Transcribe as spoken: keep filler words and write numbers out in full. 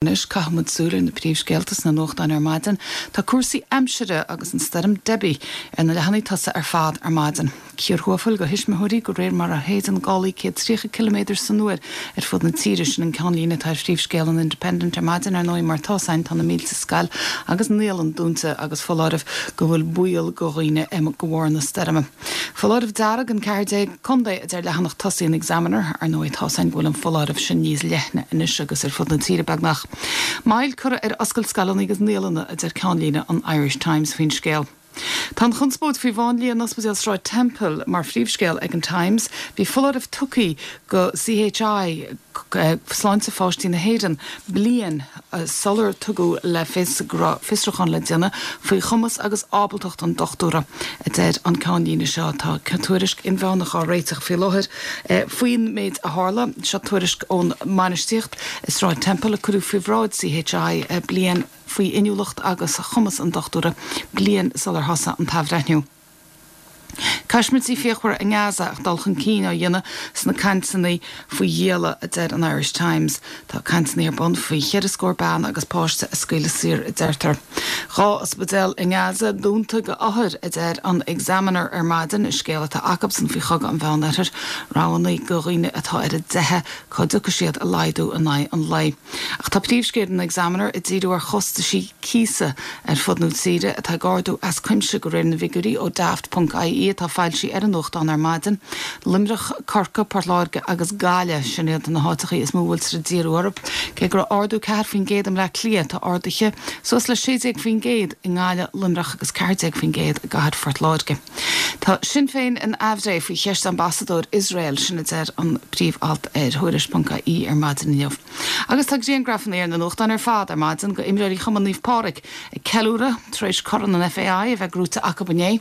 Anois caithfimid súil ar na príomhscéalta sna nuachtáin ar maidin, tá cúrsaí aimsire agus an stoirm Debbie ar na leathanaigh tosaigh ar fad ar maidin. Cíor thuathal do thuismitheoirí de réir mar a shéideann gálaí céad tríocha ciliméadar san uair ar fud na tíre sin an ceannlíne atá ar phríomhscéal an Independent ar maidin ar ndóigh mar tá san tá na mílte scoil agus naíolann dúnta agus foláireamh go bhfuil baol do dhaoine de bharr na stoirme. Foláireamh dearg in ceathair déag contae a deir leathanach tosaigh an Examiner ar ndóigh tá san go bhfuil an foláireamh sin níos leithne anois agus ar fud na tíre beagnach. Moill curtha ar oscailt scoileanna agus naíolanna a deir ceannlíne an Irish Times faoin scéal. Tá an chonspóid faoi mháinlia in Ospidéal Sráid Temple mar phríomhscéal ag an Times, bhí foláireamh tugtha do CHI sláinte pháistí na hÉireann bliain sular tugadh le fios go raibh fiosrúchán le déanamh faoi chumas agus ábaltacht an dochtúra a deir an ceannlíne seo tá tuairisc inmheánach á réiteach faoi láthair faoin méid a tharla seo tuairisc ón mbainistíocht i Sráid Temple a cuireadh faoi bhráid CHI bliain faoi inniúlacht agus chumas an dochtúra bliain sular thosaigh an t-athbhreithniú. Caismirtí fíochmhara i nGaza ach dul chun cinn á dhéanamh sna cainteanna faoi ghialla a deir an Irish Times. Tá cainteanna ar bun faoi cheithre scór bean agus páiste a scaoileadh saor a deirtear. Dhá ospidéal i nGaza dúnta d'othair a deir an Examiner ar maidin i scéal atá acusan faoi chogadh an Mheánoirthir, rabhadh do dhaoine atá ar a dteitheadh cá dtiocfaidh siad a laghdú in aghaidh an lae. Ach tá príomhscéal an Examiner ag díriú ar chostaisí cíosa ar fud na tíre atá ag ardú as cuimse de réir na bhfigiúirí ó daft.ie atá foilsithe ar an nuachtán ar maidin. Luimneach, Corcaigh, Port Láirge agus Gaillimh sin iad na háiteacha is mó a bhfuiltear ag díriú orthu. Cé go raibh ardú ceathair faoin gcéad i mBleá Cliath tá arduithe suas le sé déag faoin gcéad i nGaillimh Luimneach agus ceathair déag faoin gcéad i gcathair Phort Láirge. Tá Sinn Féin in aimhréidh faoi cheist ambasadóir Iosrael sin a deir an príomh-alt ar thuairisc.ie ar maidin inniu. Agus tá grianghrafanna ar na nuachtáin ar fad ar maidin d'imreoirí Chumann Naomh Pádraig ag ceiliúradh tar éis Corn an FAI a bheith gnóthaithe acu inné.